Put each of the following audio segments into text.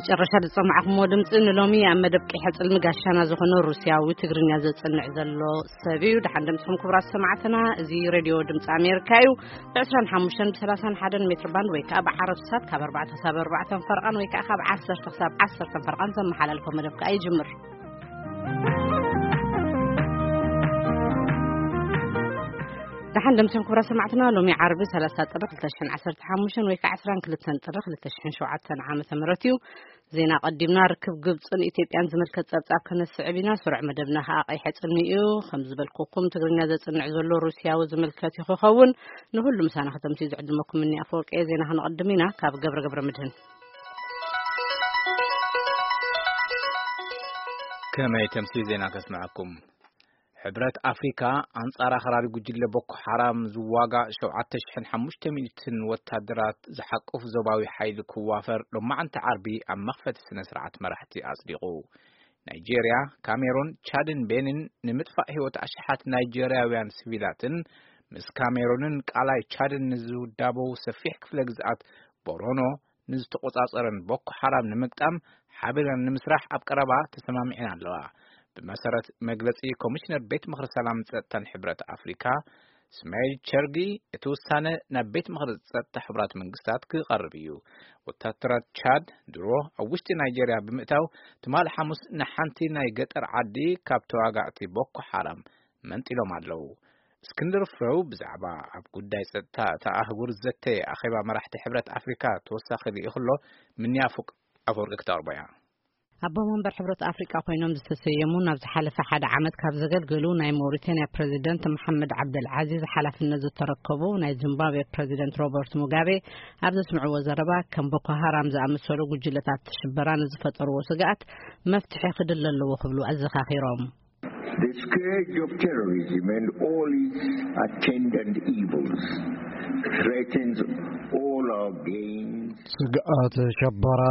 ጨረሻ ዝሰማዕኹምዎ ድምፂ ንሎሚ ኣብ መደብ ቀይሐ ፅልሚ ጋሻና ዝኾነ ሩስያዊ ትግርኛ ዘፅንዕ ዘሎ ሰብ እዩ። ደሓን ደምስኹም ክቡራት ሰማዕትና። እዚ ሬድዮ ድምፂ ኣሜሪካ እዩ። ብ25 ብ31 ሜትር ባንድ ወይ ከዓ ብዓረብ ሳት ካብ ኣርባዕተ ክሳብ ኣርባዕተ ፈርቓን ወይ ከዓ ካብ ዓሰርተ ክሳብ ዓሰርተ ፈርቓን ዘመሓላልፎ መደብ ከዓ ይጅምር። ደሓን ደምስኹም ክቡራት ሰማዕትና። ሎሚ ዓርቢ ሰላሳ ጥሪ ክልተ ሽሕን ዓሰርተ ሓሙሽተን ወይ ከዓ ዕስራን ክልተን ጥሪ ክልተ ሽሕን ሸውዓተን ዓመተ ምህረት እዩ። ዜና ቀዲምና። ርክብ ግብፅን ኢትዮጵያን ዝምልከት ፀብፃብ ከነስዕብ ኢና። ስሩዕ መደብና ከዓ ቀይሐ ፅልሚ እዩ። ከም ዝበልኩኩም ትግርኛ ዘፅንዕ ዘሎ ሩስያዊ ዝምልከት እዩ ክኸውን። ንሁሉ ምሳና ከተምሲ ዝዕድመኩም እኒ ኣፈወርቂ። ዜና ክንቐድም ኢና ካብ ገብረ ገብረ ምድህን። ከመይ ተምሲ ዜና ከስምዐኩም። ሕብረት ኣፍሪካ ኣንጻር ኣኽራሪ ጉጅለ ቦኮ ሓራም ዝዋጋእ ሸውዓተ ሽሕን ሓሙሽተ ሚእትን ወታደራት ዝሓቁፍ ዞባዊ ሓይሊ ክዋፈር ሎማዓንቲ ዓርቢ ኣብ መኽፈቲ ስነ ስርዓት መራሕቲ ኣጽዲቑ። ናይጄርያ፣ ካሜሩን፣ ቻድን ቤንን ንምጥፋእ ህይወት ኣሽሓት ናይጄርያውያን ሲቪላትን ምስ ካሜሩንን ቃላይ ቻድን ንዝውዳበው ሰፊሕ ክፍለ ግዝኣት ቦሮኖ ንዝተቆጻጸረን ቦኮ ሓራም ንምግጣም ሓቢረን ንምስራሕ ኣብ ቀረባ ተሰማሚዐን ኣለዋ። ብመሰረት መግለጺ ኮሚሽነር ቤት ምኽሪ ሰላም ጸጥታን ሕብረት ኣፍሪካ ስማይል ቸርጊ፣ እቲ ውሳነ ናብ ቤት ምኽሪ ጸጥታ ሕቡራት መንግስታት ክቐርብ እዩ። ወታደራት ቻድ ድሮ ኣብ ውሽጢ ናይጄርያ ብምእታው ትማሊ ሓሙስ ንሓንቲ ናይ ገጠር ዓዲ ካብ ተዋጋእቲ ቦኮ ሓራም መንጢሎም ኣለዉ። እስክንድር ፍሬው ብዛዕባ ኣብ ጉዳይ ጸጥታ እታ ኣህጉር ዘተ ኣኼባ መራሕቲ ሕብረት ኣፍሪካ ተወሳኺ ልኢኽሎ ምንያ ፉቅ ኣፈወርቂ ክተቕርቦ እያ። ኣቦ መንበር ሕብረት ኣፍሪቃ ኮይኖም ዝተሰየሙ ናብ ዝሓለፈ ሓደ ዓመት ካብ ዘገልገሉ ናይ ሞሪታንያ ፕሬዚደንት መሓመድ ዓብደል ዓዚዝ ሓላፍነት ዝተረከቡ ናይ ዚምባብዌ ፕሬዚደንት ሮበርት ሙጋቤ ኣብ ዘስምዕዎ ዘረባ፣ ከም ቦኮ ሃራም ዝኣመሰሉ ጉጅለታት ሽበራ ንዝፈጠርዎ ስግኣት መፍትሒ ክድለ ኣለዎ ክብሉ ኣዘኻኺሮም። The scourge of terrorism and all its attendant evils threatens all our gains. ስግኣት ሸበራ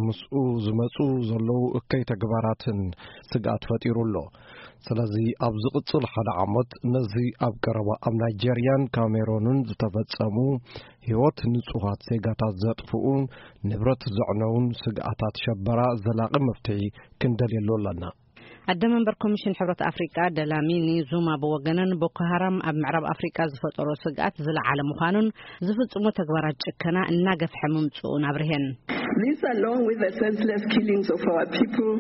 ምስኡ ዝመጹ ዘለዉ እከይ ተግባራትን ስግኣት ፈጢሩ ኣሎ። ስለዚ ኣብ ዝቕጽል ሓደ ዓመት ነዚ ኣብ ቀረባ ኣብ ናይጄርያን ካሜሮንን ዝተፈጸሙ ህይወት ንጹሃት ዜጋታት ዘጥፍኡን ንብረት ዘዕነውን ስግኣታት ሸበራ ዘላቒ መፍትሒ ክንደልየሉ ኣለና። ኣደ መንበር ኮሚሽን ሕብረት ኣፍሪቃ ደላሚኒ ዙማ ብወገነን፣ ቦኮ ሃራም ኣብ ምዕራብ ኣፍሪቃ ዝፈጠሮ ስግኣት ዝለዓለ ምዃኑን ዝፍጽሞ ተግባራት ጭከና እናገፍሐ ምምጽኡን ኣብርሄን። This, along with the senseless killings of our people,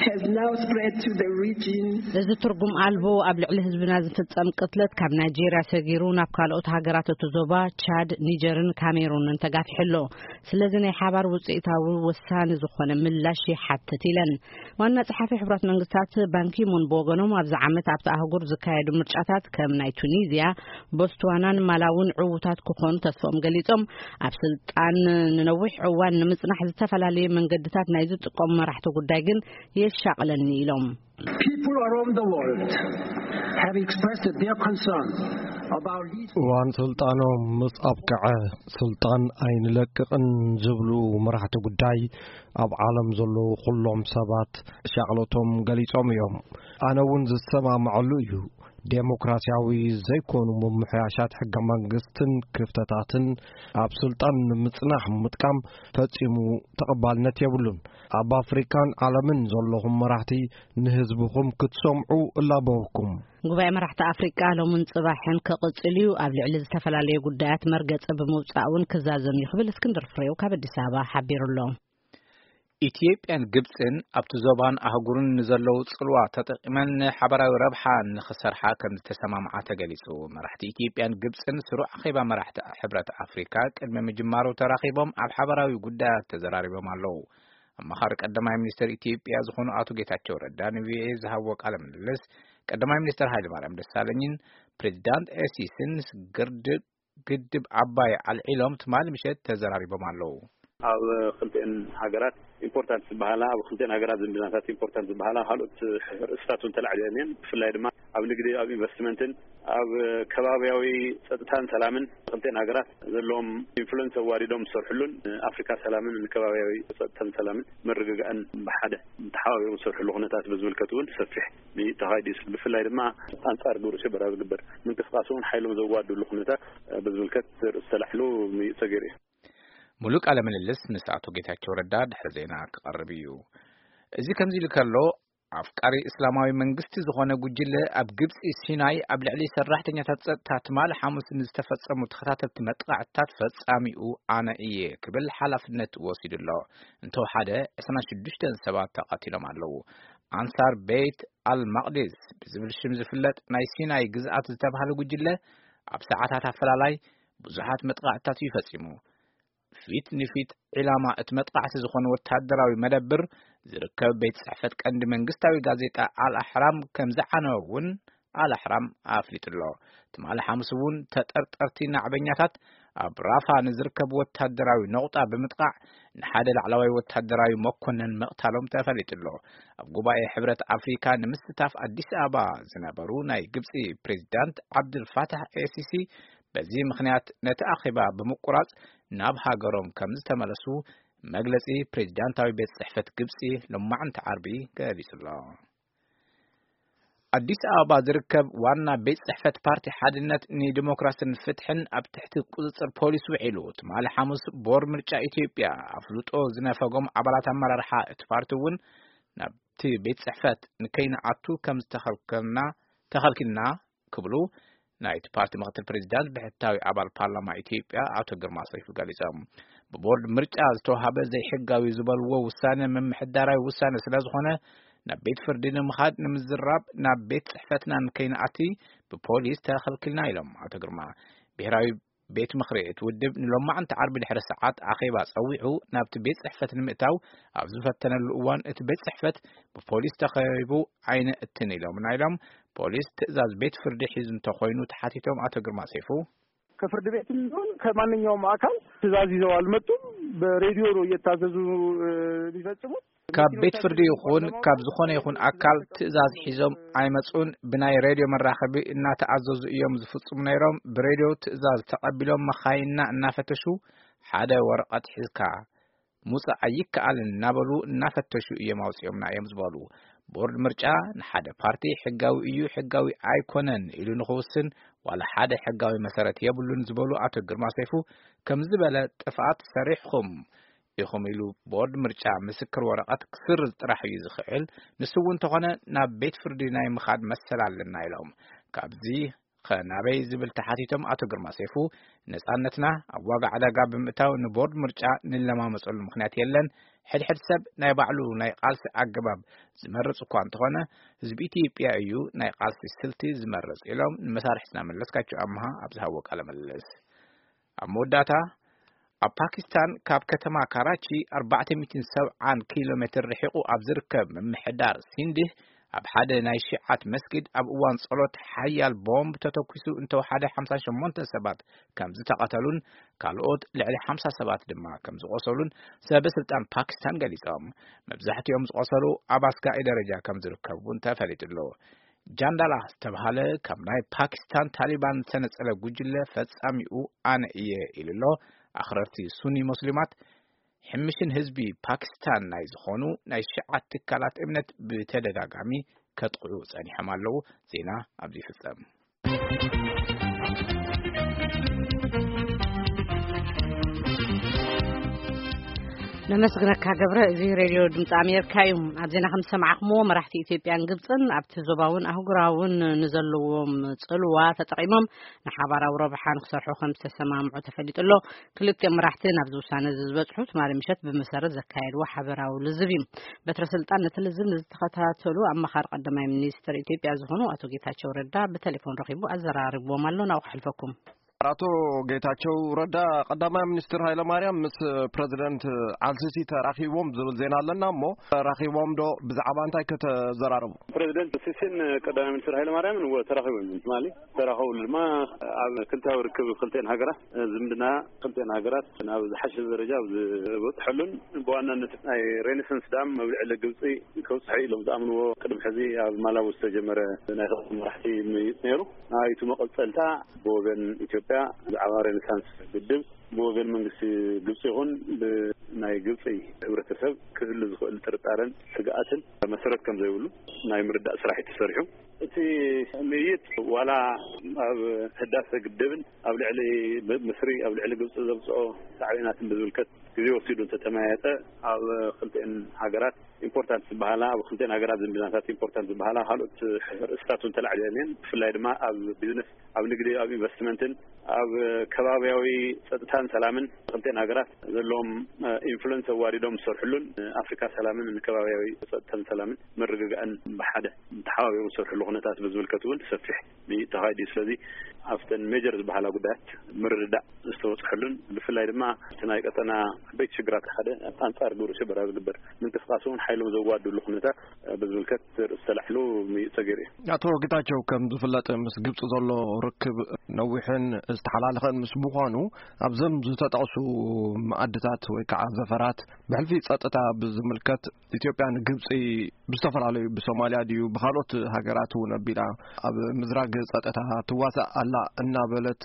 has now spread to the region. እዚ ትርጉም ኣልቦ ኣብ ልዕሊ ህዝብና ዝፍጸም ቅትለት ካብ ናይጄርያ ሰጊሩ ናብ ካልኦት ሃገራት እቲ ዞባ፣ ቻድ፣ ኒጀርን ካሜሩንን ተጋፊሑ ኣሎ። ስለዚ ናይ ሓባር ውጽኢታዊ ወሳኒ ዝኾነ ምላሽ ይሓትት ኢለን። ዋና ጸሓፊ ሕቡራት መንግስታት ባንኪሙን ብወገኖም፣ ኣብዚ ዓመት ኣብቲ ኣህጉር ዝካየዱ ምርጫታት ከም ናይ ቱኒዝያ፣ ቦትስዋናን ማላውን ዕዉታት ክኾኑ ተስፎም ገሊጾም፣ ኣብ ስልጣን ንነዊሕ እዋን ንምጽናሕ ዝተፈላለዩ መንገድታት ናይ ዝጥቀሙ መራሕቲ ጉዳይ ግን የሻቕለኒ ኢሎም። People around the world have expressed their concern about his እዋን ስልጣኖም ምስ ኣብቅዐ ስልጣን ኣይንለቅቕን ዝብሉ መራሕቲ ጉዳይ ኣብ ዓለም ዘለዉ ኩሎም ሰባት ሻቕሎቶም ገሊጾም እዮም። ኣነ እውን ዝሰማምዐሉ እዩ። ዴሞክራሲያዊ ዘይኮኑ ምምሕያሻት ሕገ መንግስትን ክፍተታትን ኣብ ስልጣን ንምጽናሕ ምጥቃም ፈጺሙ ተቐባልነት የብሉን። ኣብ ኣፍሪካን ዓለምን ዘለኹም መራሕቲ ንህዝብኹም ክትሰምዑ እላበወኩም። ጉባኤ መራሕቲ ኣፍሪቃ ሎምን ጽባሕን ክቕጽል እዩ። ኣብ ልዕሊ ዝተፈላለዩ ጉዳያት መርገጺ ብምውጻእ እውን ክዛዘም እዩ ክብል እስክንድር ፍሬው ካብ ኣዲስ ኣበባ ሓቢሩ ኣሎ። ኢትዮጵያን ግብጽን ኣብቲ ዞባን ኣህጉርን ንዘለዉ ጽልዋ ተጠቂመን ንሓበራዊ ረብሓ ንኽሰርሓ ከም ዝተሰማምዓ ተገሊጹ። መራሕቲ ኢትዮጵያን ግብጽን ስሩዕ ኣኼባ መራሕቲ ሕብረት ኣፍሪካ ቅድሚ ምጅማሩ ተራኺቦም ኣብ ሓበራዊ ጉዳያት ተዘራሪቦም ኣለዉ። ኣማኻሪ ቀዳማይ ሚኒስትር ኢትዮጵያ ዝኾኑ ኣቶ ጌታቸው ረዳ ንቪኦኤ ዝሃብዎ ቃለ ምልልስ፣ ቀዳማይ ሚኒስትር ሃይለማርያም ደሳለኝን ፕሬዚዳንት ኤሲስን ምስ ግርድብ ግድብ ዓባይ ኣልዒሎም ትማሊ ምሸት ተዘራሪቦም ኣለዉ። ኣብ ክልቲኤን ሃገራት ኢምፖርታንት ዝበሃላ፣ ኣብ ክልቲኤን ሃገራት ዝምድናታት ኢምፖርታንት ዝበሃላ ካልኦት ርእስታት እውን ተላዒለን እየን። ብፍላይ ድማ ኣብ ንግዲ፣ ኣብ ኢንቨስትመንትን ኣብ ከባቢያዊ ጸጥታን ሰላምን ክልቲኤን ሃገራት ዘለዎም ኢንፍሉንስ ኣዋዲዶም ዝሰርሕሉን ንኣፍሪካ ሰላምን ንከባቢያዊ ጸጥታን ሰላምን ምርግጋእን ብሓደ ተሓባቢሮም ዝሰርሕሉ ኩነታት ብዝምልከት እውን ሰፊሕ ምይይጥ ተኻይዱ እዩ። ብፍላይ ድማ ኣንጻር ግብረ ሽበራ ዝግበር ምንቅስቃስ እውን ሓይሎም ዘዋድሉ ኩነታት ብዝምልከት ርእሱ ተላዒሉ ምይይጥ ተገይሩ እዩ። ሙሉእ ቃለ ምልልስ ምስ ኣቶ ጌታቸው ረዳ ድሕሪ ዜና ክቐርብ እዩ። እዚ ከምዚ ኢሉ ከሎ፣ ኣፍቃሪ እስላማዊ መንግስቲ ዝኾነ ጉጅለ ኣብ ግብጺ ሲናይ ኣብ ልዕሊ ሰራሕተኛታት ጸጥታ ትማሊ ሓሙስ ንዝተፈጸሙ ተኸታተልቲ መጥቃዕትታት ፈጻሚኡ ኣነ እየ ክብል ሓላፍነት ወሲዱ ኣሎ። እንተወሓደ ዕስራን ሽዱሽተን ሰባት ተቐቲሎም ኣለዉ። ኣንሳር ቤት ኣልማቅዲስ ብዝብል ሽም ዝፍለጥ ናይ ሲናይ ግዝኣት ዝተባህለ ጉጅለ ኣብ ሰዓታት ኣፈላላይ ብዙሓት መጥቃዕትታት እዩ ፈጺሙ። ፊት ንፊት ዒላማ እቲ መጥቃዕቲ ዝኾነ ወተሃደራዊ መደብር ዝርከብ ቤት ጽሕፈት ቀንዲ መንግስታዊ ጋዜጣ ኣልኣሕራም ከም ዝዓነወ እውን ኣልኣሕራም ኣፍሊጡ ኣሎ። ትማሊ ሓሙስ እውን ተጠርጠርቲ ናዕበኛታት ኣብ ራፋ ንዝርከብ ወተሃደራዊ ነቑጣ ብምጥቃዕ ንሓደ ላዕለዋይ ወተሃደራዊ መኮነን ምቕታሎም ተፈሊጡ ኣሎ። ኣብ ጉባኤ ሕብረት ኣፍሪካ ንምስታፍ ኣዲስ ኣበባ ዝነበሩ ናይ ግብፂ ፕሬዚዳንት ዓብድልፋታሕ ኤሲሲ በዚ ምኽንያት ነቲ ኣኼባ ብምቁራጽ ናብ ሃገሮም ከም ዝተመለሱ መግለጺ ፕሬዚዳንታዊ ቤት ጽሕፈት ግብጺ ሎማዕንቲ ዓርቢ ገሊጹ ኣሎ። ኣዲስ ኣበባ ዝርከብ ዋና ቤት ጽሕፈት ፓርቲ ሓድነት ንዲሞክራስን ፍትሕን ኣብ ትሕቲ ቁጽጽር ፖሊስ ውዒሉ። ትማሊ ሓሙስ ቦርድ ምርጫ ኢትዮጵያ ኣፍልጦ ዝነፈጎም ኣባላት ኣመራርሓ እቲ ፓርቲ እውን ናብቲ ቤት ጽሕፈት ንከይንኣቱ ከም ዝተኸልከልና ተኸልኪልና ክብሉ ናይቲ ፓርቲ ምክትል ፕሬዚዳንት ብሕታዊ ኣባል ፓርላማ ኢትዮጵያ ኣቶ ግርማ ሰይፉ ገሊጾም። ብቦርድ ምርጫ ዝተዋሃበ ዘይሕጋዊ ዝበልዎ ውሳነ ምምሕዳራዊ ውሳነ ስለ ዝኾነ ናብ ቤት ፍርዲ ንምኻድ ንምዝራብ ናብ ቤት ጽሕፈትና ንከይንኣቲ ብፖሊስ ተኸልኪልና ኢሎም ኣቶ ግርማ። ብሔራዊ ቤት ምኽሪ እቲ ውድብ ንሎማዕንቲ ዓርቢ ድሕሪ ሰዓት ኣኼባ ጸዊዑ ናብቲ ቤት ጽሕፈት ንምእታው ኣብ ዝፈተነሉ እዋን እቲ ቤት ጽሕፈት ብፖሊስ ተኸቢቡ ኣይነእትን ኢሎምና ኢሎም። ፖሊስ ትእዛዝ ቤት ፍርዲ ሒዙ እንተኾይኑ ተሓቲቶም ኣቶ ግርማ ሰይፉ። ከፍርድ ቤትም ይሁን ከማንኛውም አካል ትእዛዝ ይዘው አልመጡም። በሬዲዮ ነው እየታዘዙ የሚፈጽሙት። ካብ ቤት ፍርዲ ይኹን ካብ ዝኾነ ይኹን ኣካል ትእዛዝ ሒዞም ኣይመጹን። ብናይ ሬድዮ መራኸቢ እናተኣዘዙ እዮም ዝፍጽሙ ነይሮም። ብሬድዮ ትእዛዝ ተቐቢሎም መኻይንና እናፈተሹ ሓደ ወረቐት ሒዝካ ምውጻእ ኣይከኣልን እናበሉ እናፈተሹ እዮም ኣውጺኦምና እዮም ዝበሉ። ቦርድ ምርጫ ንሓደ ፓርቲ ሕጋዊ እዩ ሕጋዊ ኣይኮነን ኢሉ ንኽውስን ዋላ ሓደ ሕጋዊ መሰረት የብሉን ዝበሉ ኣቶ ግርማ ሰይፉ፣ ከም ዝበለ ጥፍኣት ሰሪሕኹም ኢኹም ኢሉ ቦርድ ምርጫ ምስክር ወረቐት ክስርዝ ጥራሕ እዩ ዝኽእል። ንሱ እውን እንተኾነ ናብ ቤት ፍርዲ ናይ ምኻድ መሰል ኣለና ኢሎም። ካብዚ ኸ ናበይ ዝብል ተሓቲቶም ኣቶ ግርማ ሰይፉ፣ ነጻነትና ኣብ ዋጋ ዕዳጋ ብምእታው ንቦርድ ምርጫ ንለማመፀሉ ምኽንያት የለን። ሕድሕድ ሰብ ናይ ባዕሉ ናይ ቃልሲ ኣገባብ ዝመርጽ እኳ እንተኾነ ህዝቢ ኢትዮጵያ እዩ ናይ ቃልሲ ስልቲ ዝመርጽ ኢሎም ንመሳርሕትና መለስካቸው ኣምሃ ኣብ ዝሃቦ ቃለ ምልልስ። ኣብ መወዳእታ ኣብ ፓኪስታን ካብ ከተማ ካራቺ ኣርባዕተ ሚእትን ሰብዓን ኪሎ ሜትር ርሒቑ ኣብ ዝርከብ ምምሕዳር ሲንድህ ኣብ ሓደ ናይ ሺዓት መስጊድ ኣብ እዋን ጸሎት ሓያል ቦምብ ተተኲሱ እንተወሓደ ሓምሳ ሸሞንተ ሰባት ከም ዝተቐተሉን ካልኦት ልዕሊ ሓምሳ ሰባት ድማ ከም ዝቖሰሉን ሰበ ስልጣን ፓኪስታን ገሊጾም። መብዛሕትኦም ዝቖሰሉ ኣብ ኣስጋኢ ደረጃ ከም ዝርከቡ እውን ተፈሊጡ ኣሎ። ጃንዳላ ዝተባሃለ ካብ ናይ ፓኪስታን ታሊባን ዝተነጸለ ጉጅለ ፈጻሚኡ ኣነ እየ ኢሉ ኣሎ። ኣኽረርቲ ሱኒ ሙስሊማት ሕምሽን ህዝቢ ፓኪስታን ናይ ዝኾኑ ናይ ሺዓት ትካላት እምነት ብተደጋጋሚ ከጥቕዑ ጸኒሖም ኣለዉ። ዜና ኣብዚ ይፍጸም። ነመስግነካ ገብረ። እዚ ሬድዮ ድምፂ ኣሜሪካ እዩ። ኣብ ዜና ከም ዝሰማዕኹምዎ፣ መራሕቲ ኢትዮጵያን ግብፅን ኣብቲ ዞባውን ኣህጉራውን ንዘለዎም ፅልዋ ተጠቒሞም ንሓባራዊ ረብሓ ንክሰርሑ ከም ዝተሰማምዑ ተፈሊጡ ኣሎ። ክልቲኦም መራሕቲ ናብዚ ውሳነ እዚ ዝበፅሑ ትማሊ ምሸት ብመሰረት ዘካየድዎ ሓበራዊ ልዝብ እዩ። በትረ ስልጣን ነቲ ልዝብ ንዝተኸታተሉ ኣማኻሪ ቀዳማይ ሚኒስትር ኢትዮጵያ ዝኾኑ ኣቶ ጌታቸው ረዳ ብቴሌፎን ረኺቡ ኣዘራሪብዎም ኣሎ። ናብኡ ከሕልፈኩም። ኣቶ ጌታቸው ረዳ ቀዳማይ ሚኒስትር ሃይለማርያም ምስ ፕረዚደንት ኣልሲሲ ተራኺቦም ዝብል ዜና ኣለና እሞ፣ ተራኺቦም ዶ? ብዛዕባ እንታይ ከተዘራርቡ? ፕረዚደንት ሲሲን ቀዳማይ ሚኒስትር ሃይለማርያምን እወ ተራኺቦም እዮም ትማሊ። ተራኸብሉ ድማ ኣብ ክልታዊ ርክብ ክልተን ሃገራት፣ ዝምድና ክልተን ሃገራት ናብ ዝሓሸ ደረጃ ኣብ ዝበፅሐሉን ብዋናነት ናይ ሬኔሳንስ ዳም መብልዒ ለግብፂ ከብፅሑ ኢሎም ዝኣምንዎ ቅድሚ ሕዚ ኣብ ማላዊ ዝተጀመረ ናይ ክልተ መራሕቲ ምይይጥ ነይሩ። ናይቱ መቐፀልታ ብወገን ኢትዮጵያ ብዛዕባ ሬኔሳንስ ግድብ ብወገን መንግስቲ ግብፂ ይኹን ብናይ ግብፂ ሕብረተሰብ ክህሉ ዝኽእል ጥርጣረን ስግኣትን መሰረት ከም ዘይብሉ ናይ ምርዳእ ስራሕ እዩ ተሰሪሑ። እቲ ምይይጥ ዋላ ኣብ ህዳሰ ግድብን ኣብ ልዕሊ ምስሪ ኣብ ልዕሊ ግብፂ ዘምፅኦ ሳዕቤናትን ብዝምልከት ግዜ ወሲዱ እንተተመያየጠ ኣብ ክልቲኤን ሃገራት ኢምፖርታንት ዝበሃላ ኣብ ክልቲኤን ሃገራት ዝምድናታት ኢምፖርታንት ዝበሃላ ካልኦት ርእስታት እውን ተላዕሊለን እየን። ብፍላይ ድማ ኣብ ቢዝነስ፣ ኣብ ንግዲ፣ ኣብ ኢንቨስትመንትን ኣብ ከባቢያዊ ጸጥታን ሰላምን ክልቲኤን ሃገራት ዘለዎም ኢንፍሉንስ ኣዋዲዶም ዝሰርሕሉን ኣፍሪካ ሰላምን ንከባቢያዊ ጸጥታን ሰላምን ምርግጋእን ብሓደ ተሓባቢሮም ዝሰርሕሉ ኩነታት ብዝምልከት እውን ሰፊሕ ተኻይዱ እዩ። ስለዚ ኣብተን ሜጀር ዝበሃላ ጉዳያት ምርድዳእ ዝተበፅሐሉን ብፍላይ ድማ እቲ ናይ ቀጠና ዓበይቲ ሽግራት ሓደ ኣንፃር ግብረ ሽበራ ዝግበር ምንቅስቃስ እውን ሓይሎም ዘዋድሉ ኩነታት ብዝምልከት ርእስ ተላዕሉ ምይጥ ተገይሩ እዩ። ኣቶ ጌታቸው፣ ከም ዝፍለጥ ምስ ግብፂ ዘሎ ርክብ ነዊሕን ዝተሓላለኸን ምስ ምዃኑ ኣብዞም ዝተጠቕሱ መኣድታት ወይ ከዓ ዘፈራት ብሕልፊ ጸጥታ ብዝምልከት ኢትዮጵያ ንግብፂ ብዝተፈላለዩ ብሶማልያ ድዩ ብካልኦት ሃገራት እውን ኣቢላ ኣብ ምዝራግ ጸጥታ ትዋሳእ ኣላ እናበለት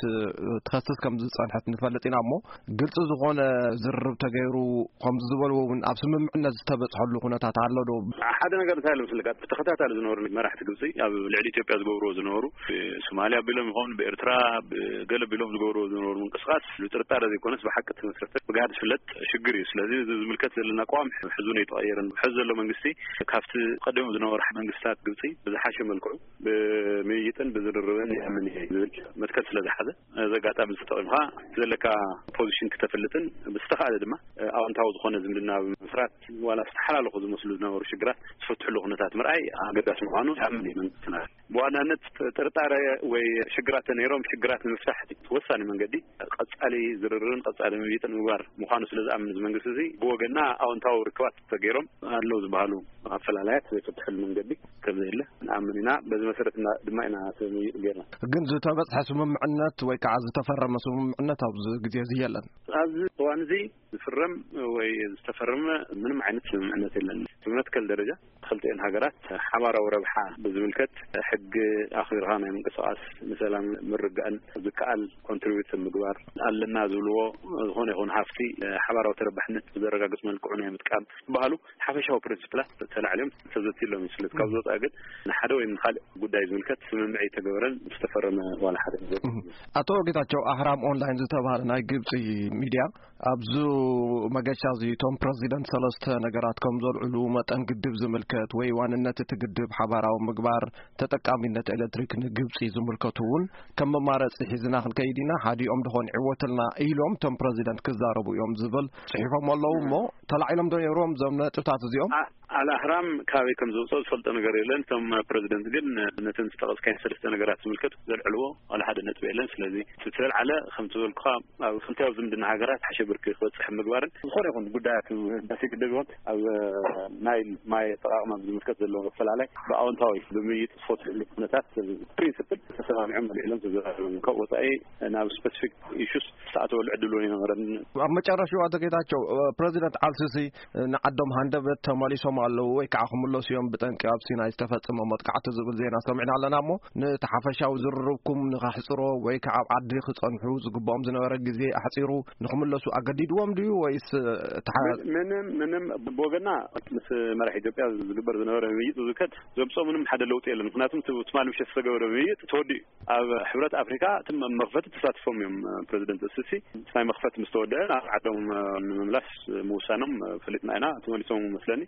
ትኸስስ ከም ዝጸንሐት ንፈልጥ ኢና። እሞ ግልፂ ዝኾነ ዝርርብ ተገይሩ ከምዚ ዝበልዎ እውን ኣብ ስምምዕነት ዝተበፅሐሉ ኩነታት ኣሎ ዶ? ሓደ ነገር እንታይ ኣሎ መስለካ፣ ብተኸታታሊ ዝነበሩ መራሕቲ ግብፂ ኣብ ልዕሊ ኢትዮጵያ ዝገብርዎ ዝነበሩ ብሶማልያ ኣቢሎም ይኸውን ብኤርትራ ብገለ ኣቢሎም ዝገብርዎ ዝነበሩ ምንቅስቃስ ብጥርጣረ ዘይኮነስ ብሓቂ ተመስረተ ብግሃድ ዝፍለጥ ሽግር እዩ። ስለዚ እዚ ዝምልከት ዘለና ኣቋም ሕዙን ኣይተቐየረን። ሕዚ ዘሎ መንግስቲ ካብቲ ቀደም ዝነበሩ መንግስታት ግብፂ ብዝሓሸ መልክዑ ብምይይጥን ብዝርርብን ይኣምን እየ ዝብል መትከል ስለ ዝሓዘ እዚ ኣጋጣሚ ተጠቒምካ ዘለካ ፖዚሽን ክተፍልጥን ብዝተኻእለ ድማ ኣዎንታዊ ዝኾነ ዝምድና ብምስራት ዋላ ዝተሓላለኹ ዝመስሉ ዝነበሩ ሽግራት ዝፈትሕሉ ኩነታት ምርኣይ ኣገዳሲ ምዃኑ ይኣምን እዩ መንግስትና። ብዋናነት ጥርጣረ ወይ ሽግራት ተነይሮም ሽግራት ንምፍታሕ እቲ ወሳኒ መንገዲ ቀጻሊ ዝርርብን ቀጻሊ ምይይጥን ምግባር ምዃኑ ስለ ዝኣምን እዚ መንግስቲ እዚ ብወገንና ኣዎንታዊ ርክባት ተገይሮም ኣለዉ ዝበሃሉ ኣፈላላያት ዘይፈትሐሉ መንገዲ ከም ዘየለ ንኣምን ኢና። በዚ መሰረት እና- ድማ ኢና እቲ ምይይጥ ገይርና። ግን ዝተበፅሐ ስምምዕነት ወይ ከዓ ዝተፈረመ ስምምዕነት ኣብዚ ግዜ እዚ የለን። ኣብዚ እዋን እዚ ዝፍረም ወይ ዝተፈረመ ምንም ዓይነት ስምምዕነት የለን። ብመትከል ደረጃ ክልቲኤን ሃገራት ሓባራዊ ረብሓ ብዝምልከት ሕጊ ኣኽቢርካ ናይ ምንቅስቃስ ንሰላም ምርጋእን ዝከኣል ኮንትሪቢዩት ምግባር ኣለና ዝብልዎ ዝኾነ ይኹን ሃፍቲ ሓባራዊ ተረባሕነት ብዘረጋግፅ መልክዑ ናይ ምጥቃም ዝበሃሉ ሓፈሻዊ ፕሪንስፕላት ተላዕልዮም ተዘትሎም እዩ። ስለዚ ካብ ዝወፃ ግን ንሓደ ወይ ንካልእ ጉዳይ ዝምልከት ስምምዕ ኣይተገበረን ዝተፈረመ ዋላ ሓደ ነገር የለን። ኣቶ ጌታቸው፣ ኣህራም ኦንላይን ዝተባህለ ናይ ግብፂ ሚድያ ኣብዚ መገሻ እዚ እቶም ፕረዚደንት ሰለስተ ነገራት ከም ዘልዕሉ መጠን ግድብ ዝምልከት ወይ ዋንነት እቲ ግድብ ሓባራዊ ምግባር ተጠቃሚነት ኤሌክትሪክ ንግብፂ ዝምልከቱ እውን ከም መማረፂ ሒዝና ክንከይድ ኢና፣ ሓዲኦም ድኾን ይዕወትልና ኢሎም እቶም ፕረዚደንት ክዛረቡ እዮም ዝብል ፅሒፎም ኣለዉ። እሞ ተላዒሎም ዶ ነይሮም እዞም ነጥብታት እዚኦም? ኣልኣህራም ካበይ ከም ዝወፅኦ ዝፈልጦ ነገር የለን። እቶም ፕረዚደንት ግን ነተን ዝጠቐስካየን ሰለስተ ነገራት ዝምልከት ዘልዕልዎ ዋላ ሓደ ነጥቢ የለን። ስለዚ እቲ ዝተልዓለ ከምቲ ዝበልኩኻ ኣብ ክልቲያዊ ዝምድና ሃገራት ሓሸ ብርኪ ክበፅሕ ምግባርን ዝኾነ ይኹን ጉዳያት ህዳሴ ግድብ ይኹን ኣብ ናይል ማይ ኣጠቓቕማ ብዝምልከት ዘለዎ ኣፈላላይ ብኣወንታዊ ብምይይጥ ዝፈትሕሉ ኩነታት ፕሪንስፕል ተሰማሚዖም ኣልዒሎም ተዘራሪቦም። ካብ ወፃኢ ናብ ስፐሲፊክ ኢሹስ ዝተኣተወሉ ዕድል እውን ኣይነበረን። ኣብ መጨረሻ ኣቶ ጌታቸው፣ ፕረዚደንት ኣልሲሲ ንዓዶም ሃንደበት ተመሊሶም ኣለዉ ወይ ከዓ ክምለሱ እዮም ብጠንቂ ኣብ ሲናይ ዝተፈጸመ መጥቃዕቲ ዝብል ዜና ሰሚዕና ኣለና። እሞ ነቲ ሓፈሻዊ ዝርርብኩም ንኸሕጽሮ ወይ ከዓ ኣብ ዓዲ ክጸንሑ ዝግብኦም ዝነበረ ግዜ ኣሕጺሩ ንኽምለሱ ኣገዲድዎም ድዩ ወይስ ተሓ- ምን- ምንም ምንም ብወገና ምስ መራሕ ኢትዮጵያ ዝግበር ዝነበረ ምይይጥ ዝከድ ዘምፅኦ ምንም ሓደ ለውጢ የለን። ምክንያቱም እቲ ትማሊ ምሸት ዝተገበረ ምይይጥ ተወዲኡ ኣብ ሕብረት ኣፍሪካ እቲ መ- መኽፈቲ ተሳትፎም እዮም። ፕረዚደንት እስሲ ናይ መኽፈቲ ምስ ተወደአ ናብ ዓዶም ንምምላስ ምውሳኖም ፈሊጥና ኢና። ተመሊሶም መስለኒ።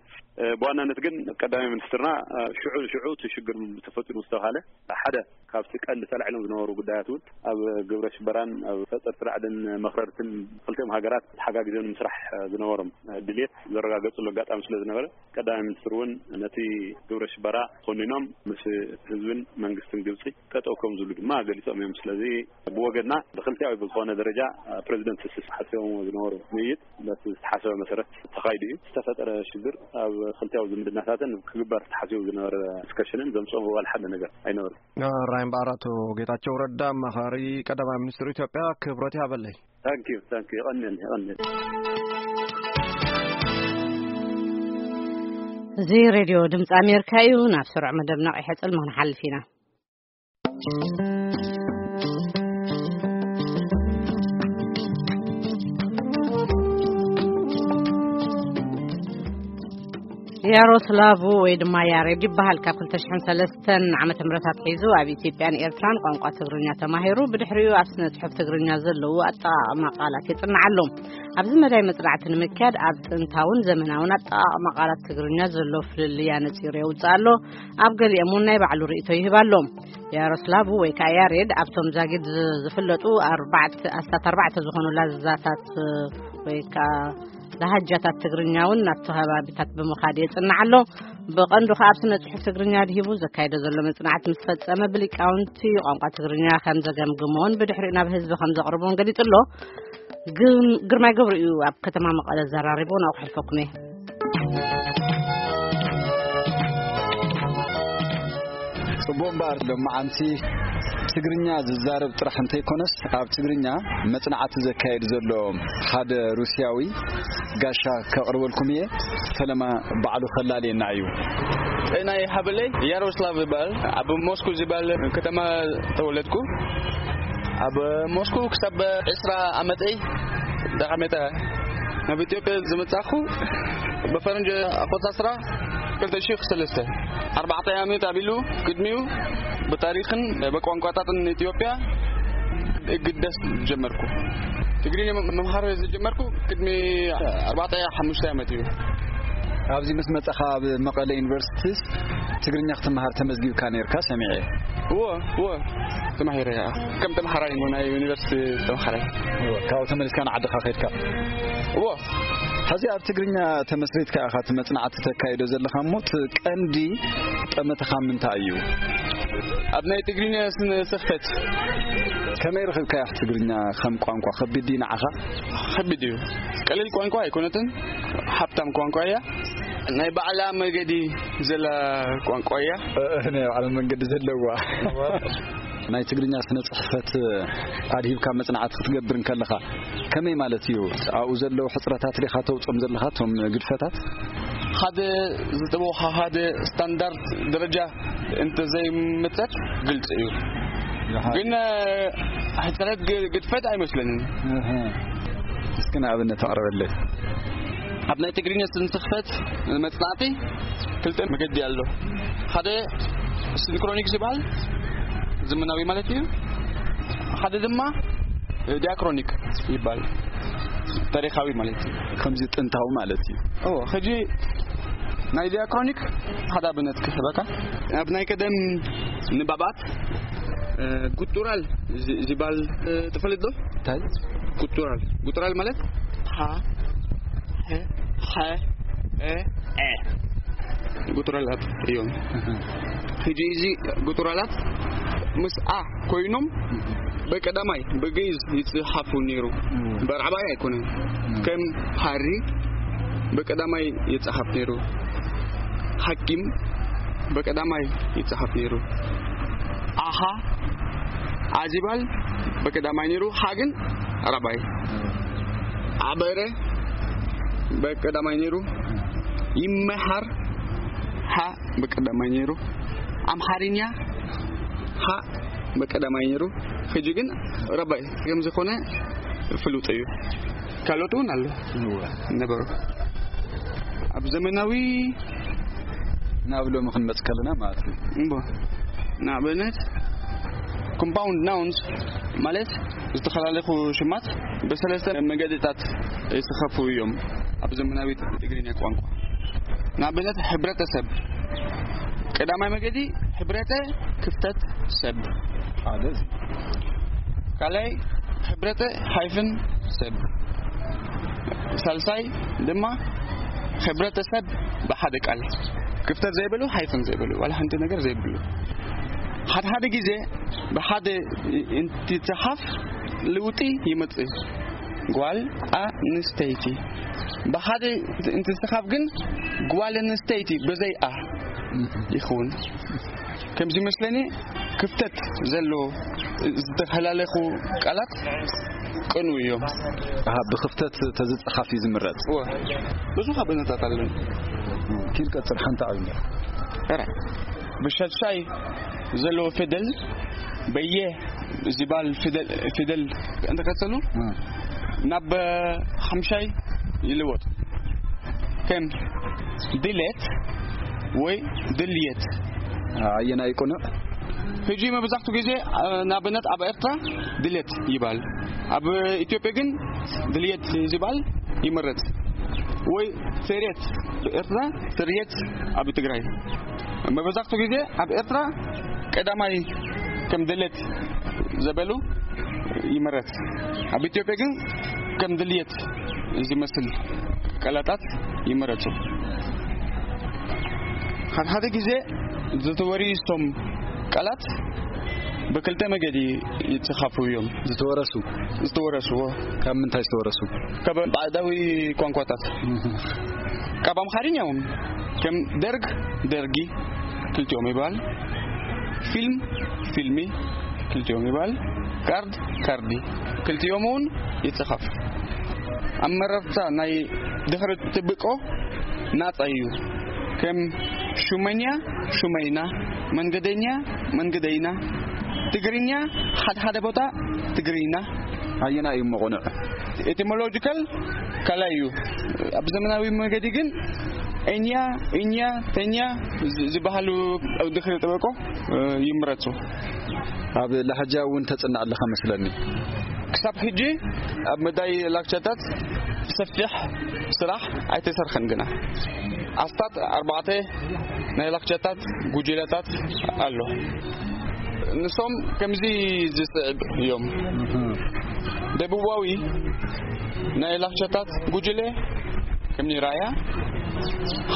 ብዋናነት ግን ቀዳማይ ሚኒስትርና ሽዑ ንሽዑ እቲ ሽግር ተፈጢሩ ዝተባሃለ ሓደ ካብቲ ቀንዲ ተላዒሎም ዝነበሩ ጉዳያት እውን ኣብ ግብረ ሽበራን ኣብ ፈጠርቲ ራዕድን መኽረርትን ክልቲኦም ሃገራት ተሓጋጊዞም ንምስራሕ ዝነበሮም ድልየት ዘረጋገፅሉ ኣጋጣሚ ስለ ዝነበረ ቀዳማይ ሚኒስትር እውን ነቲ ግብረ ሽበራ ኮኒኖም ምስ ህዝብን መንግስትን ግብፂ ጠጠው ከም ዝብሉ ድማ ገሊፆም እዮም። ስለዚ ብወገንና ብክልቲያዊ ብዝኾነ ደረጃ ፕረዚደንት ስስ ሓሲቦም ዝነበሩ ምይይጥ በቲ ዝተሓሰበ መሰረት ተኻይዱ እዩ። ዝተፈጠረ ሽግር ኣብ ክልቲያዊ ዝምድናታትን ክግበር ተሓሲቡ ዝነበረ ዲስከሽንን ዘምፅኦ ዋላ ሓደ ነገር ኣይነበረን። ራይ እምበኣር ኣቶ ጌታቸው ረዳ ኣማኻሪ ቀዳማይ ሚኒስትር ኢትዮጵያ ክብረት ይሃበለይ። ታንኪዩ ታንኪዩ። የቐንየል የቐንየል። እዚ ሬድዮ ድምፂ ኣሜሪካ እዩ። ናብ ስሩዕ መደብ ነቒሐ ጽልሚ ክንሓልፍ ኢና። ያሮስላቭ ወይ ድማ ያሬድ ይበሃል። ካብ ክልተ ሽሕን ሰለስተን ዓመተ ምህረት ኣትሒዙ ኣብ ኢትዮጵያን ኤርትራን ቋንቋ ትግርኛ ተማሂሩ፣ ብድሕሪኡ ኣብ ስነ ጽሑፍ ትግርኛ ዘለዉ ኣጠቓቕማ ቃላት የጽንዕ ኣሎ። ኣብዚ መዳይ መጽናዕቲ ንምክያድ ኣብ ጥንታውን ዘመናውን ኣጠቓቕማ ቃላት ትግርኛ ዘሎ ፍልልይ ኣነጺሩ የውጽእ ኣሎ። ኣብ ገሊኦም እውን ናይ ባዕሉ ርእይቶ ይህብ ኣሎ። ያሮስላቭ ወይ ከኣ ያሬድ ኣብቶም ዛጊድ ዝ-፣ ዝፍለጡ ኣርባዕተ፣ ኣስታት ኣርባዕተ ዝኾኑ ላዛታት ወይ ከኣ ላሃጃታት ትግርኛ እውን ናብቲ ከባቢታት ብምኻድ የጽንዕ ኣሎ። ብቐንዱ ከኣ ኣብ ስነ ጽሑፍ ትግርኛ ድሂቡ ዘካየዶ ዘሎ መጽናዕቲ ምስ ፈጸመ ብሊቃውንቲ ቋንቋ ትግርኛ ከም ዘገምግሞን ብድሕሪኡ ናብ ህዝቢ ከም ዘቕርቦን ገሊጹ ኣሎ። ግም-፣ ግርማይ ገብሩ እዩ ኣብ ከተማ መቐለ ዘራሪቦ፣ ናብኡ ክሕልፈኩም እየ። ጽቡቕ እምበኣር፣ ሎማዓንቲ ትግርኛ ዝዛረብ ጥራሕ እንተይኮነስ፣ ኣብ ትግርኛ መጽናዕቲ ዘካየድ ዘሎ ሓደ ሩስያዊ ጋሻ ከቕርበልኩም እየ። ፈለማ ባዕሉ ከላልየና እዩ። ጤና ይሃበለይ፣ ያሮስላቭ ይበሃል። ኣብ ሞስኮ ዝበሃል ከተማ ተወለድኩ። ኣብ ሞስኮ ክሳብ ዕስራ ዓመተይ ዳቐሜታ ናብ ኢትዮጵያ ዝመጻኹ ብፈረንጂ ኣቆጻጽራ ክልተ ሽሕ ሰለስተ፣ ኣርባዕተ ዓመት ኣቢሉ። ቅድሚኡ ብታሪኽን ብቋንቋታትን ኢትዮጵያ እግደስ ጀመርኩ። ትግርኛ መምሃር ዝጀመርኩ ቅድሚ ኣርባዕተ ሓሙሽተ ዓመት እዩ። ኣብዚ ምስ መጻኻ ኣብ መቐለ ዩኒቨርሲቲስ ትግርኛ ክትመሃር ተመዝጊብካ ነርካ ሰሚዐ። እወ፣ እወ፣ ተማሂረ እያ። ከም ተምሃራይ እሞ ናይ ዩኒቨርሲቲ ተምሃራይ። እወ፣ ካብኡ ተመሊስካ ንዓድኻ ከድካ? እወ። ሕዚ ኣብ ትግርኛ ተመስሪትካ ኢኻ እቲ መጽናዕቲ ተካይዶ ዘለኻ እሞ፣ እቲ ቀንዲ ጠመተኻ ምንታይ እዩ? ኣብ ናይ ትግርኛ ስነ ጽሕፈት። ከመይ ረኺብካያ ትግርኛ ከም ቋንቋ? ከቢድ ድዩ ንዓኻ? ከቢድ እዩ። ቀሊል ቋንቋ ኣይኮነትን። ሃብታም ቋንቋ እያ። ናይ ባዕላ መገዲ ዘላ ቋንቋ እያ። እ፣ እ፣ ናይ ባዕላ መንገዲ ዘለዋ። እዋ። ናይ ትግርኛ ስነ ጽሕፈት ኣድሂብካ መጽናዕቲ ክትገብር እንከለኻ ከመይ ማለት እዩ? ኣብኡ ዘለዉ ሕጽረታት ዲኻ ተውጽኦም ዘለኻ፣ እቶም ግድፈታት? ሓደ ዝጠበቑኻ ሓደ ስታንዳርድ ደረጃ እንተዘይምጸት ግልጺ እዩ። ይሓ- ግን፣ እ፣ ሕጽረት ግ-፣ ግድፈት ኣይመስለንን። እህ። እስኪ ንኣብነት ኣቕርበለይ። ኣብ ናይ ትግርኛ ስነ ጽሕፈት መጽናዕቲ ክልተ መገዲ ኣሎ። ሓደ ሲንክሮኒክ ዝበሃል ዘመናዊ ማለት እዩ። ሓደ ድማ ዲያክሮኒክ ይባል፣ ታሪኻዊ ማለት እዩ። ከምዚ ጥንታዊ ማለት እዩ። ኦ፣ ሕጂ ናይ ዲያክሮኒክ ሓደ ኣብነት ክህበካ። ኣብ ናይ ቀደም ንባባት፣ እ፣ ጉጡራል ዚ-፣ ዝበሃል፣ እ፣ ትፈልጥ ዶ? እንታይ? ጉጡራል። ጉጡራል ማለት ሃ፣ ሀ፣ ሐ፣ እ፣ ዐ። ጉጡራላት እዮም። እህ። ሕጂ እዚ ጉጡራላት ምስ ኣ ኮይኖም በቀዳማይ በግእዝ ይጽሓፉ ነይሩ። እም። በራዕባይ ኣይኮነን። እም። ከም ሃሪ በቀዳማይ ይጽሓፍ ነይሩ። ሓኪም በቀዳማይ ይጽሓፍ ነይሩ። ኣሃ፣ ኣዚባል በቀዳማይ ነይሩ። ሃ ግን ራባይ። እም። ኣበረ በቀዳማይ ነይሩ። ይመሃር፣ ሃ በቀዳማይ ነይሩ። ኣምሓርኛ፣ ሃ በቀዳማይ ነይሩ። ሕጂ ግን ራባይ ከም ዝኾነ ፍሉጥ እዩ። ካልኦት እውን ኣሎ እወ። ነበሩ። ኣብ ዘመናዊ ናብ ሎሚ ክንመጽእ ከለና ማለት እዩ። እምቦ። ንኣብነት፣ ኮምፓውንድ ናውንስ ማለት ዝተፈላለዩ ሽማት ብሰለስተ መገድታት ይስኸፉ እዮም ኣብ ዘመናዊ ትግርኛ ቋንቋ። ንኣብነት፣ ሕብረተሰብ። ቀዳማይ መገዲ ሕብረተ ክፍተት ሰብ። ሓደ እዚ። ካልኣይ ሕብረተ ሃይፍን ሰብ። ሳልሳይ ድማ ሕብረተሰብ ብሓደ ቃል። ክፍተት ዘይብሉ፣ ሃይፍን ዘይብሉ፣ ዋላ ሓንቲ ነገር ዘይብሉ። ሓደ ሓደ ግዜ ብሓደ እንትጽሓፍ ለውጢ ይመጽእ። ጓል ኣንስተይቲ። ብሓደ እንትጽሓፍ ግን ጓል ኣንስተይቲ ብዘይ ኣ ይኸውን። ከምዚ መስለኒ ክፍተት ዘሎ ዝተፈላለኹ ቃላት ቅኑ እዮም። ኣሃ፣ ብክፍተት ተዝጸሓፍ እዩ ዝምረጽ። እወ፣ ብዙሕ ኣብነታት ኣለኒ። ኪድ ቀጽል ሓንቲ ኣብነት። ኧረ፣ ብሻድሻይ ዘለዎ ፊደል፣ በየ ዝበሃል ፊደል፣ ፊደል እንተቀጸሉ፣ እ። ናብ ሓምሻይ ይልወጥ። ከም ድሌት ወይ ድልየት። ኣየናይ ቅኑዕ? ሕጂ መብዛሕቱ ግዜ፣ እ፣ ንኣብነት ኣብ ኤርትራ ድሌት ይባል፣ ኣብ ኢትዮጵያ ግን ድልየት ዝባል ይመረጽ። ወይ ስርየት፣ ብኤርትራ ስርየት፣ ኣብ ትግራይ። መብዛሕቱ ግዜ ኣብ ኤርትራ ቀዳማይ ከም ድሌት ዘበሉ ይመረጽ። ኣብ ኢትዮጵያ ግን ከም ድልየት ዝመስል ቃላታት ይመረጹ። ሓደ ሓደ ግዜ ዝተወርሶም ቃላት ብክልተ መገዲ ይጽሓፉ እዮም። ዝተወረሱ? ዝተወረሱ። ካብ ምንታይ ዝተወረሱ? ካብ ባዕዳዊ ቋንቋታት። ካብ ኣምሓርኛ እውን ከም ደርግ፣ ደርጊ ክልቲኦም ይበሃል። ፊልም፣ ፊልሚ ክልቲኦም ይበሃል። ካርድ፣ ካርዲ ክልቲኦም እውን ይጽሓፍ። ኣመራርታ ናይ ድሕሪ ጥብቆ ናጻ እዩ። ከም ሹመኛ፣ ሹመይና፣ መንገደኛ፣ መንገደይና፣ ትግርኛ፣ ሓደ ሓደ ቦታ ትግርይና። ኣየና እዩ መቑንዕ? ኤቲሞሎጂካል ካልኣይ እዩ። ኣብ ዘመናዊ መገዲ ግን እኛ፣ እኛ፣ ተኛ ዝ-፣ ዝበሃሉ ኣብ ድሕሪ ጥበቆ፣ እ፣ ይምረጹ። ኣብ ላህጃ እውን ተጽንዕ ኣለኻ መስለኒ። ክሳብ ሕጂ ኣብ መዳይ ላክቻታት ሰፊሕ ስራሕ ኣይተሰርሐን ግና። ኣስታት ኣርባዕተ ናይ ላክቻታት ጉጅለታት ኣሎ። ንሶም ከምዚ ዝስዕብ እዮም። ደቡባዊ ናይ ላክቻታት ጉጅለ ከምኒ ራያ፣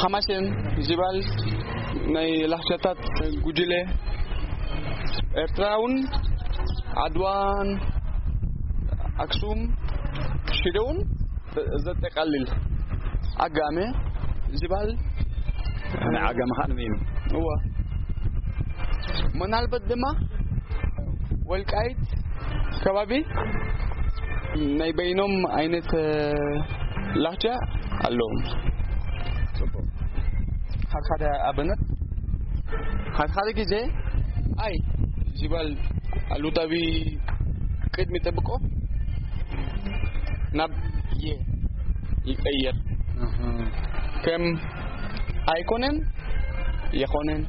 ሓማሴን ዝበሃል ናይ ላክቻታት ጉጅለ፣ ኤርትራውን ዓድዋን ኣክሱም ሽደውን ዘጠቃልል ዓጋመ ዝበሃል። ናይ ዓጋመ ኸኣ ንበይኑ። እዋ። ምናልባት ድማ ወልቃይት ከባቢ ናይ በይኖም ዓይነት፣ እ፣ ላህጃ ኣለዎም። ጽቡቕ። ሓደ ሓደ ኣብነት፣ ሓደ ሓደ ግዜ ኣይ ዝበሃል ኣሉታዊ ቅድሚ ጠብቆ ናብ የ ይቀየር። እህ። ከም ኣይኮነን፣ የኾነን።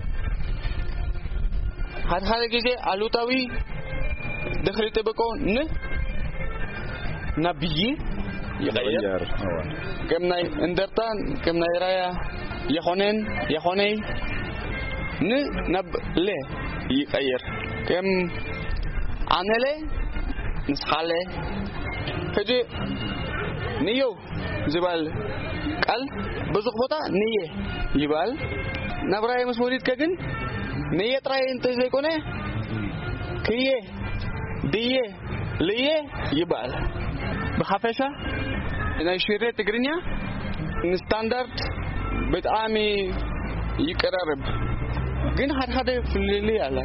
ሓደ ሓደ ግዜ ኣሉታዊ ድሕሪ ጥብቆ ን ናብ ይ ይቐየር። ይቐየር። እወ። ከም ናይ እንደርታ፣ ከም ናይ ራያ የኾነን፣ የኾነይ ን ናብ ለ ይቐየር። ከም ኣነለ ንስኻለ። ሕጂ ንየው ዝበሃል ቃል ብዙሕ ቦታ ንየ ይበሃል። ናብ ራየ ምስ ወሪድካ ግን ንየ ጥራይ እንተ ዘይኮነ ክየ፣ ድየ፣ ልየ ይበሃል። ብሓፈሻ ናይ ሽረ ትግርኛ ንስታንዳርድ ብጣዕሚ ይቀራረብ፣ ግን ሓደ ሓደ ፍልልይ ኣላ።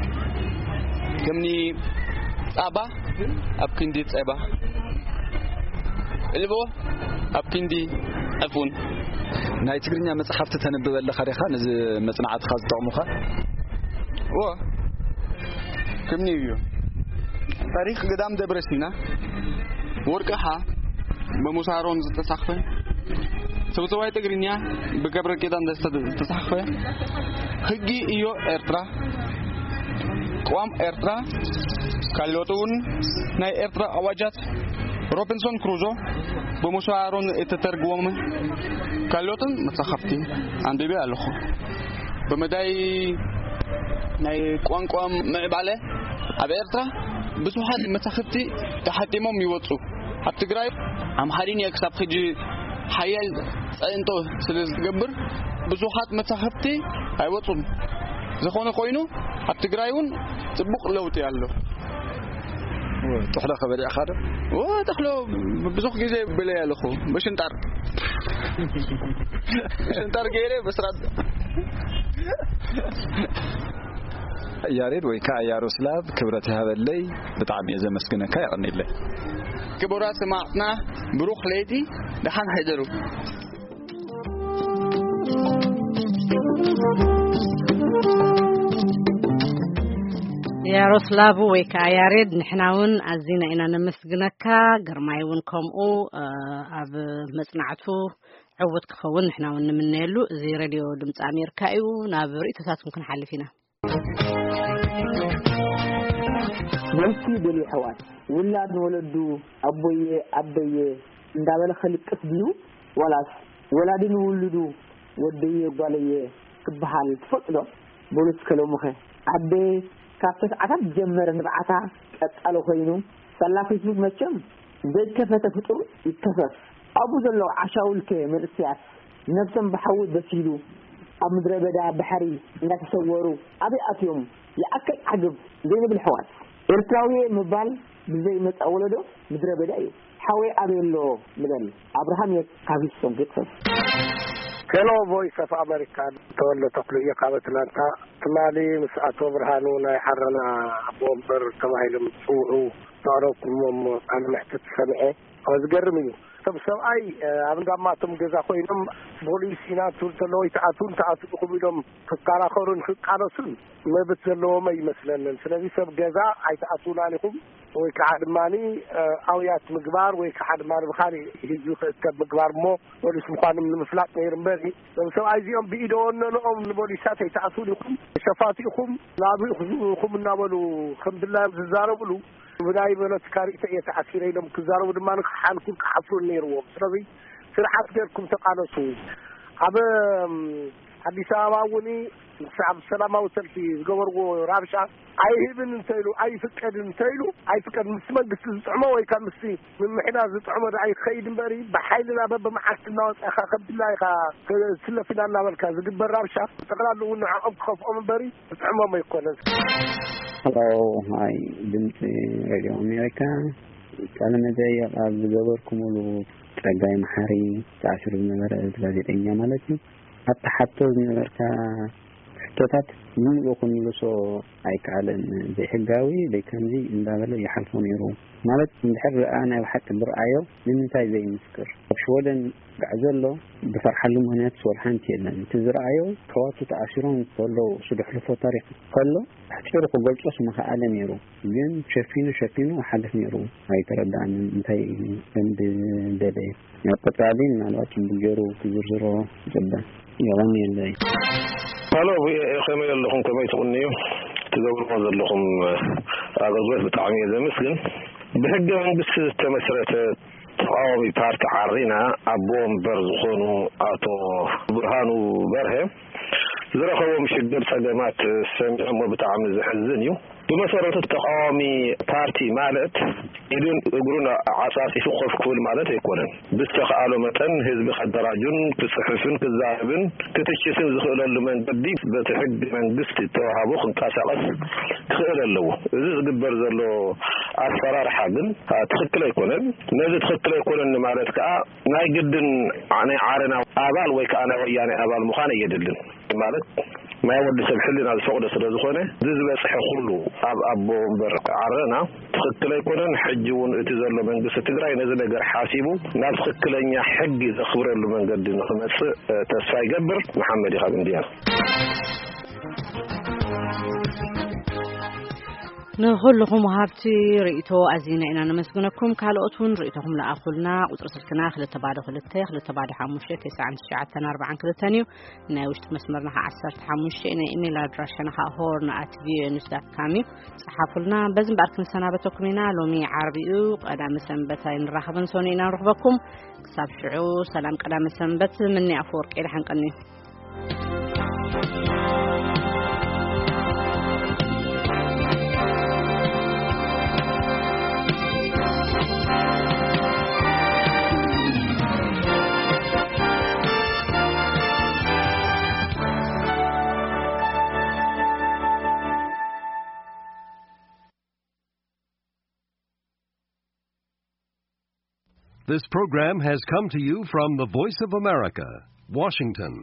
ከምኒ ጻባ ኣብ ክንዲ ጸባ፣ ዕልቦ ኣብ ክንዲ ዕፉን። ናይ ትግርኛ መጽሓፍቲ ተንብብ ኣለኻ ዲኻ፣ ነዚ መጽናዕትኻ ዝጠቕሙኻ? እወ፣ ከምኒ እዩ። ታሪኽ ገዳም ደብረ ሲና፣ ወርቅኻ ብሙሳ ኣሮን ዝተጻሕፈ፣ ሰብሰባይ ትግርኛ ብገብረ ኪዳን ደስታ ዝተጻሕፈ፣ ህጊ እዮ ኤርትራ፣ ቅዋም ኤርትራ፣ ካልኦት እውን ናይ ኤርትራ ኣዋጃት፣ ሮቢንሶን ክሩዞ ብሙሳ ኣሮን እተተርጎመ፣ ካልኦትን መጻሕፍቲ ኣንቢበ ኣለኹ። ብመዳይ ናይ ቋንቋ ምዕባለ ኣብ ኤርትራ ብዙሓት መጻሕፍቲ ተሓቲሞም ይወጹ። ኣብ ትግራይ ኣምሓርኛ ክሳብ ሕጂ ሓያል ጸዕንቶ ስለ ዝገብር ብዙሓት መጻሕፍቲ ኣይወጹን። ዝኾነ ኮይኑ ኣብ ትግራይ እውን ጽቡቕ ለውጢ ኣሎ። ወ፣ ጥሕሎ ከበሊዕኻ ዶ? ወ፣ ጥሕሎ ብዙሕ ግዜ በለ ኣለኹ። ብሽንጣር። ብሽንጣር ገይረ ብስራት። ያሬድ ወይ ከኣ ያሮስላቭ ክብረት ይሃበለይ። ብጣዕሚ እየ ዘመስግነካ። የቐንየለይ። ክቡራት ሰማዕትና ብሩኽ ለይቲ፣ ደሓን ሕደሩ። ያሮስላቭ ወይ ከኣ ያሬድ፣ ንሕና እውን ኣዚና ኢና ነመስግነካ። ግርማይ እውን ከምኡ፣ እ፣ ኣብ መጽናዕቱ ዕውት ክኸውን ንሕና እውን ንምነየሉ። እዚ ሬድዮ ድምፂ ኣሜሪካ እዩ። ናብ ርእይቶታትኩም ክንሓልፍ ኢና። መልሲ ደልዩ ኣሕዋት፣ ውላድ ንወለዱ ኣቦየ ኣደየ እንዳበለ ከልቅስ ድዩ፣ ዋላስ ወላዲ ንውሉዱ ወደየ ጓለየ ክበሃል ትፈልጡ ዶ? በሉ እስከ ሎምኸ። ኣደ ካብ ተስዓታት ጀመረ ንብዓታ ቀጻሊ ኮይኑ፣ ሳላ ፌስቡክ መቸም ዘይከፈተ ፍጡር ይከፈፍ። ኣብኡ ዘለዉ ዓሻውልከ መንእሰያት ነብሶም ብሓዊ በሲሉ ኣብ ምድረ በዳ ባሕሪ እንዳተሰወሩ ኣበይ ኣትዮም? ይኣክል ዓግብ ዘይንብል ኣሕዋት። ኤርትራዊ ምባል ብዘይመጻእ ወለዶ ምድረ በዳ እዩ። ሓወይ ኣበይ ኣሎ ንበል። ኣብርሃም እየ ካብ ሂስቶን ቴክሳስ። ሄሎ ቮይስ ኦፍ ኣሜሪካ፣ ተወልደ ተኽሉ እየ ካብ ኣትላንታ። ትማሊ ምስ ኣቶ ብርሃኑ ናይ ዓረና ኣቦ ወንበር ተባሂሎም ዝጽውዑ ዘቕረብኩምዎም ቃለ መሕትት ሰሚዐ። ኣዎ፣ ዝገርም እዩ። ሰብ ሰብኣይ፣ እ፣ ኣብ እንዳማቶም ገዛ ኮይኖም ፖሊስ ኢና ትብል ተሎ ወይ ተኣትውን ተኣትውኹም ኢሎም ክከራኸሩን ክቃለሱን መብት ዘለዎም ኣይመስለንን። ስለዚ ሰብ ገዛ ኣይተኣትውናን ኢኹም ወይ ከዓ ድማኒ፣ እ፣ ኣውያት ምግባር ወይ ከዓ ድማ ብኻሊእ ህዝቢ ክእከብ ምግባር እሞ ፖሊስ ምዃኖም ንምፍላጥ ነይሩ እምበሪ፣ እዞም ሰብኣይ እዚኦም ብኢደ ወነንኦም ንፖሊሳት ኣይተኣትውን ኢኹም፣ ሸፋቱ ኢኹም፣ ናብ ኢኹም እናበሉ ከም ድላዮም ዝዛረብሉ ብናይ ፖለቲካ ርእይቶ እየ ተኣሲረ ኢሎም ክዛረቡ ድማ ክሓንኩን ክሓፍሩን ነይርዎም። ስለዚ ስርዓት ጌርኩም ተቃለሱ። ኣብ፣ እም፣ ኣዲስ ኣበባ እውን ምስ ኣብ ሰላማዊ ሰልፊ ዝገበርዎ ራብሻ ኣይህብን እንተኢሉ ኣይፍቀድን እንተኢሉ ኣይፍቀድን። ምስ መንግስቲ ዝጥዕሞ ወይ ካብ ምስቲ ምምሕዳር ዝጥዕሞ ደኣ ይኸይድ እምበሪ ብሓይልና በብመዓልቲ እናወፃእካ ከም ድላይካ ትለፍ ኢና እናበልካ ዝግበር ራብሻ ጠቕላላ እውን ንዕኦም ክኸፍኦም እምበሪ ዝጥዕሞም ኣይኮነን። ሄሎ፣ ሃይ፣ ድምፂ ሬድዮ ኣሜሪካ። ቃለ መጠይቕ ኣብ ዝገበርኩምሉ ጸጋይ መሓሪ ተኣሲሩ ዝነበረ፣ እዚ ጋዜጠኛ ማለት እዩ። ኣብቲ ሓቶ ዝነበርካ ሕቶታት ብምሉኡ ክምልሶ ኣይከኣለን። ዘይሕጋዊ፣ ዘይከምዚ እንዳበለ ይሓልፎ ነይሩ። ማለት እንድሕር ደኣ ናይ ብሓቂ ዝረኣዮ ንምንታይ ዘይምስክር? ኣብ ሽወደን ዝግዕ ዘሎ ዝፈርሓሉ ምኽንያት ወላ ሓንቲ የለን። እቲ ዝረኣዮ ኣሕዋቱ ተኣሲሮም ከለዉ እሱ ዘሕልፎ ታሪኽ ከሎ ኣሕጺሩ ክገልጾስ ምኸኣለ ነይሩ። ግን ሸፊኑ ሸፊኑ ክሓልፍ ነይሩ። ኣይተረድኣንን እንታይ ከም ዝደለየ። ኣብ ቀጻሊ ምናልባት ጽቡቅ ገይሩ ክዝርዝሮ ይጽበ። የቐንየለይ። ሃሎ፣ ቪኦኤ፣ ከመይ ኣለኹም? ከመይ ትቕንዩ? ትገብርዎ ዘለኹም ኣገልግሎት ብጣዕሚ እየ ዘመስግን። ብሕገ መንግስቲ ዝተመስረተ ተቃዋሚ ፓርቲ ዓሪና ኣቦ ወንበር ዝኾኑ ኣቶ ብርሃኑ በርሀ ዝረኸቦም ሽግር ጸገማት ሰሚዖሞ ብጣዕሚ ዘሕዝን እዩ። ብመሰረቱ ተቃዋሚ ፓርቲ ማለት ኢዱን እግሩን ዓጻጺፉ ኮፍ ክብል ማለት ኣይኮነን። ብዝተኻእሎ መጠን ህዝቢ ከደራጁን ክጽሕፍን ክዛረብን ክትችትን ዝኽእለሉ መንገዲ በቲ ሕጊ መንግስቲ ተዋህቦ ክንቀሳቐስ ክኽእል ኣለዎ። እዚ ዝግበር ዘሎ ኣሰራርሓ ግን፣ አ፣ ትኽክል ኣይኮነን። ነዚ ትኽክል ኣይኮነን ንማለት ከኣ ናይ ግድን ዓ-፣ ናይ ዓረና ኣባል ወይ ከኣ ናይ ወያኔ ኣባል ምዃን ኣየድልን። ማለት ናይ ወዲ ሰብ ሕልና ዝፈቕዶ ስለ ዝኾነ፣ እዚ ዝበጽሐ ኩሉ ኣብ ኣቦ ወንበር ዓረና ትኽክል ኣይኮነን። ሕጂ እውን እቲ ዘሎ መንግስቲ ትግራይ ነዚ ነገር ሓሲቡ ናብ ትኽክለኛ ሕጊ ዘኽብረሉ መንገዲ ንኽመጽእ፣ እ፣ ተስፋ ይገብር። መሓመድ እዩ ካብ እንድያ። ንኹልኹም ወሃብቲ ርእይቶ ኣዚና ኢና ነመስግነኩም። ካልኦት እውን ርእይቶኹም ለኣኹልና። ቁጽሪ ስልክና ክልተ ባዶ ክልተ፣ ክልተ ባዶ ሓሙሽተ፣ ተስዓን ትሽዓተን ኣርባዓን ክልተን እዩ። ናይ ውሽጢ መስመርና ኸዓ ዓሰርተ ሓሙሽተ፣ ናይ ኢሜይል ኣድራሻና ኸዓ ሆርን ኣት ቪኦኤ ኒውስ ዳት ካም እዩ። ጸሓፉልና። በዚ እምበኣር ክንሰናበተኩም ኢና። ሎሚ ዓርቢ እዩ፣ ቀዳመ ሰንበት ኣይንራኸብን፣ ሰኑይ ኢና ንረኽበኩም። ክሳብ ሽዑ ሰላም ቀዳመ ሰንበት። ምኒ ኣፈወርቂ ደሓን ቀኒ። This program has come to you from the Voice of America, Washington.